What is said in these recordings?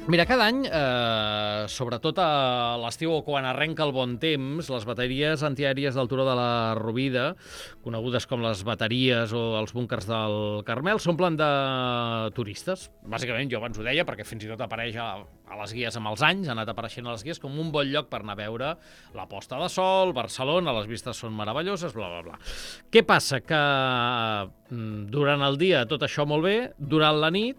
Mira, cada any, sobretot a l'estiu o quan arrenca el bon temps, les bateries antiaèries del Turó de la Rovida, conegudes com les bateries o els búnkers del Carmel, s'omplen de turistes. Bàsicament, jo abans ho deia, perquè fins i tot apareix a les guies amb els anys, ha anat apareixent a les guies com un bon lloc per anar a veure la posta de sol, Barcelona, les vistes són meravelloses, bla, bla, bla. Què passa? Que durant el dia tot això molt bé, durant la nit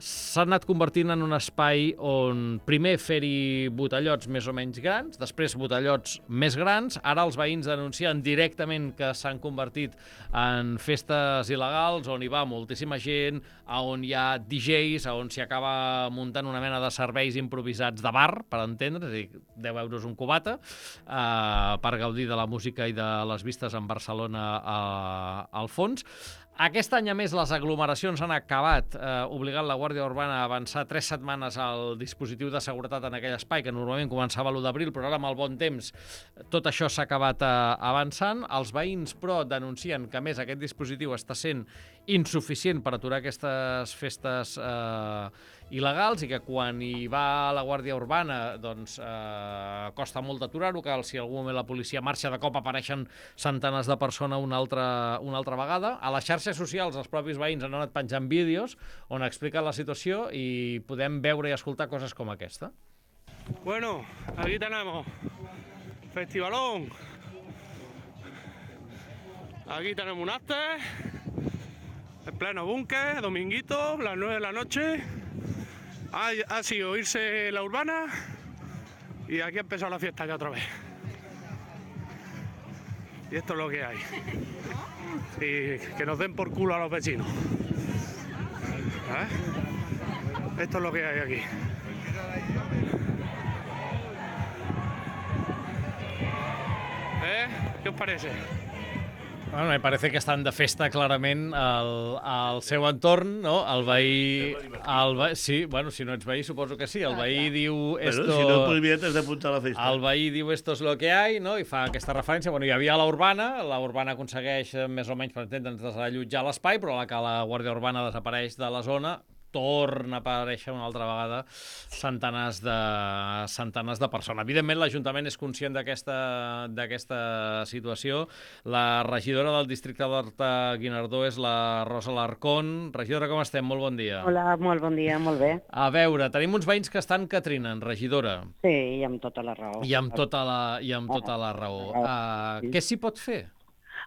s'ha anat convertint en un espai on primer fer-hi botellots més o menys grans, després botellots més grans, ara els veïns denuncien directament que s'han convertit en festes il·legals, on hi va moltíssima gent, on hi ha DJs, on s'hi acaba muntant una mena de serveis improvisats de bar, per entendre, és a dir, 10 euros un cubata, per gaudir de la música i de les vistes en Barcelona al fons. Aquest any, a més, les aglomeracions han acabat obligant la Guàrdia Urbana a avançar 3 setmanes al dispositiu de seguretat en aquell espai, que normalment començava l'1 d'abril, però ara amb el bon temps tot això s'ha acabat avançant. Els veïns, però, denuncien que, a més, aquest dispositiu està sent insuficient per aturar aquestes festes il·legals i que quan hi va la Guàrdia Urbana doncs costa molt d'aturar-ho, que si en algun moment la policia marxa de cop apareixen centenars de persones una altra vegada. A les xarxes socials els propis veïns han anat penjant vídeos on expliquen la situació i podem veure i escoltar coses com aquesta. Bueno, aquí tenemos festivalón. Aquí tenemos un after, en pleno búnker, dominguito, las 9 de la noche. Ha sido irse la urbana y aquí ha empezado la fiesta ya otra vez. Y esto es lo que hay. Y que nos den por culo a los vecinos. Esto es lo que hay aquí. ¿Qué os parece? Bueno, me parece que estan de festa clarament al seu entorn, no? El veí... Sí, bueno, si no ets veí suposo que sí. El veí diu... Bueno, si no prohibido t'has d'apuntar a la festa. El veí diu esto es lo que hay, no? I fa aquesta referència. Bueno, hi havia la Urbana aconsegueix més o menys, per entendre'ns, desallotjar l'espai, però a la que la Guàrdia Urbana desapareix de la zona, torna a aparèixer una altra vegada centenars de persones. Evidentment, l'Ajuntament és conscient d'aquesta situació. La regidora del districte d'Horta-Guinardó és la Rosa Larcón. Regidora, com estem? Molt bon dia. Hola, molt bon dia, molt bé. A veure, tenim uns veïns que estan que trinen, regidora. Sí, i amb tota la raó. I amb tota la raó. Què s'hi pot fer?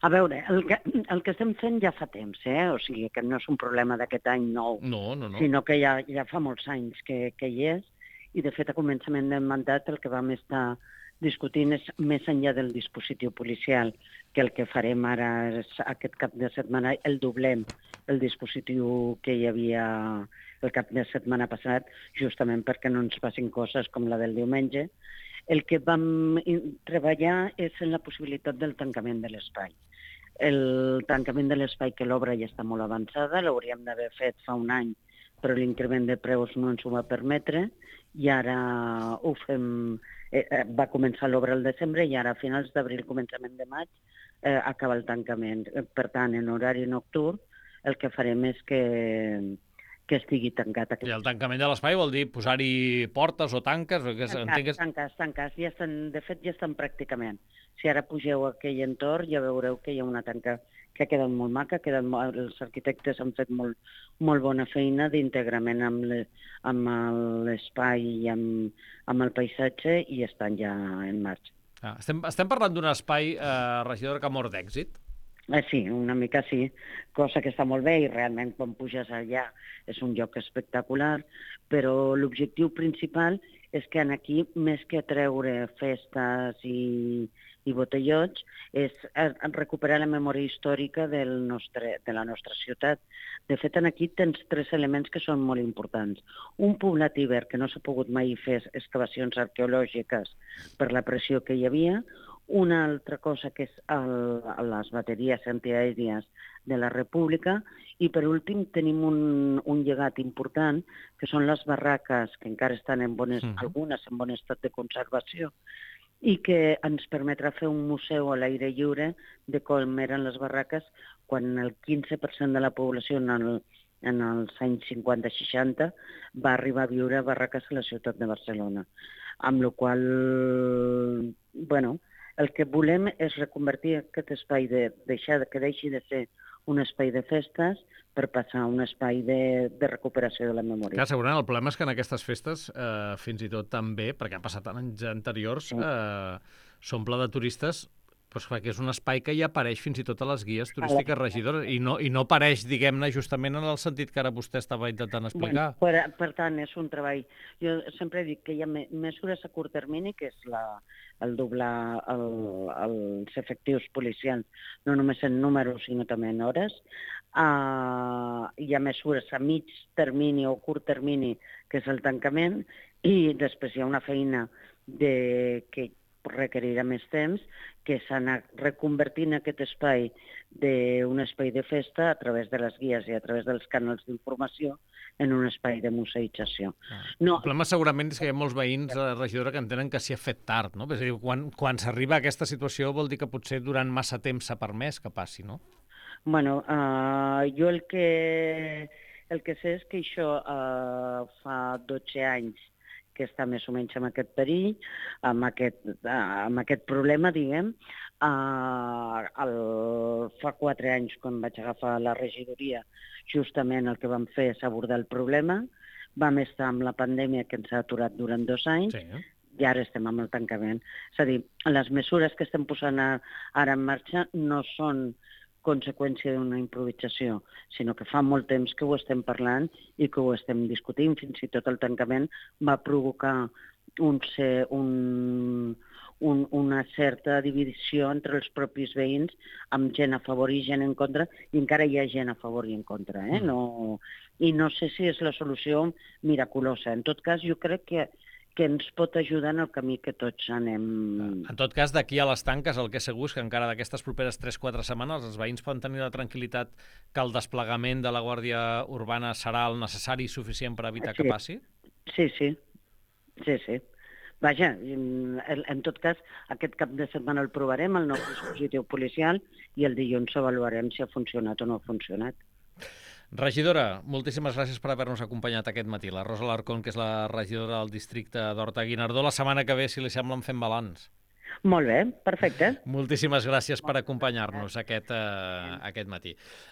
A veure, el que estem fent ja fa temps, o sigui que no és un problema d'aquest any nou, No. sinó que ja fa molts anys que hi és, i de fet a començament del mandat el que vam estar discutint és més enllà del dispositiu policial, que el que farem ara és aquest cap de setmana el doblem, el dispositiu que hi havia el cap de setmana passat, justament perquè no ens passin coses com la del diumenge. El que vam treballar és en la possibilitat del tancament de l'espai. El tancament de l'espai, que l'obra ja està molt avançada, l'hauríem d'haver fet fa un any, però l'increment de preus no ens ho va permetre, i ara ho fem... Va començar l'obra al desembre i ara a finals d'abril, començament de maig, acaba el tancament. Per tant, en horari nocturn, el que farem és que estigui tancat. I el tancament de l'espai vol dir posar-hi portes o tanques? Tancats. Ja estan, de fet, ja estan pràcticament. Si ara pugeu a aquell entorn, ja veureu que hi ha una tanca que ha quedat molt maca, els arquitectes han fet molt bona feina d'integrament amb l'espai i amb el paisatge i estan ja en marxa. Estem parlant d'un espai, regidora, que mor d'èxit? Sí, una mica sí, cosa que està molt bé i realment quan puges allà és un lloc espectacular, però l'objectiu principal és que aquí, més que treure festes i botellots, és recuperar la memòria històrica de la nostra ciutat. De fet, aquí tens 3 elements que són molt importants. Un poblat ibèric, que no s'ha pogut mai fer excavacions arqueològiques per la pressió que hi havia. Una altra cosa que és les bateries antiaèries de la República, i per últim tenim un llegat important, que són les barraques, que encara estan algunes en bon estat de conservació, i que ens permetrà fer un museu a l'aire lliure de com eren les barraques quan el 15% de la població en els anys 50-60, va arribar a viure a Barraques a la ciutat de Barcelona. Amb la qual bueno, el que volem és reconvertir aquest espai, que deixi de ser un espai de festes per passar a un espai de recuperació de la memòria. Clar, segurament el problema és que en aquestes festes, fins i tot també, perquè ha passat en anys anteriors, s'omple de turistes, doncs perquè és un espai que ja apareix fins i tot a les guies turístiques regidores i no apareix, diguem-ne, justament en el sentit que ara vostè estava intentant explicar. Bueno, per tant, és un treball. Jo sempre dic que hi ha mesures a curt termini, que és el doblar els efectius policials, no només en números, sinó també en hores. Hi ha mesures a mig termini o curt termini, que és el tancament, i després hi ha una feina que requerirà més temps, que s'ha anat reconvertint aquest espai d'un espai de festa a través de les guies i a través dels canals d'informació en un espai de museïtzació. El problema segurament és que hi ha molts veïns, regidora, que entenen que s'hi ha fet tard, no? És a dir, quan s'arriba a aquesta situació vol dir que potser durant massa temps s'ha permès que passi, no? Bueno, jo el que sé és que això fa 12 anys que està més o menys amb aquest perill, amb aquest problema, diguem. Fa 4 anys, quan vaig agafar la regidoria, justament el que vam fer és abordar el problema. Vam estar amb la pandèmia, que ens ha aturat durant 2 anys, i ara estem amb el tancament. És a dir, les mesures que estem posant ara en marxa no són conseqüència d'una improvisació, sinó que fa molt temps que ho estem parlant i que ho estem discutint. Fins i tot el tancament va provocar una certa divisió entre els propis veïns, amb gent a favor i gent en contra, i encara hi ha gent a favor i en contra. I no sé si és la solució miraculosa. En tot cas, jo crec que ens pot ajudar en el camí que tots anem. En tot cas, d'aquí a les tanques, el que és segur és que encara d'aquestes properes 3-4 setmanes els veïns poden tenir la tranquil·litat que el desplegament de la Guàrdia Urbana serà el necessari i suficient per evitar que passi? Sí. Vaja, en tot cas, aquest cap de setmana el provarem, el nou dispositiu policial, i el dilluns avaluarem si ha funcionat o no ha funcionat. Regidora, moltíssimes gràcies per haver-nos acompanyat aquest matí. La Rosa Alarcón, que és la regidora del districte d'Horta-Guinardó. La setmana que ve, si li sembla, en fem balanç. Molt bé, perfecte. Moltíssimes gràcies per acompanyar-nos aquest matí.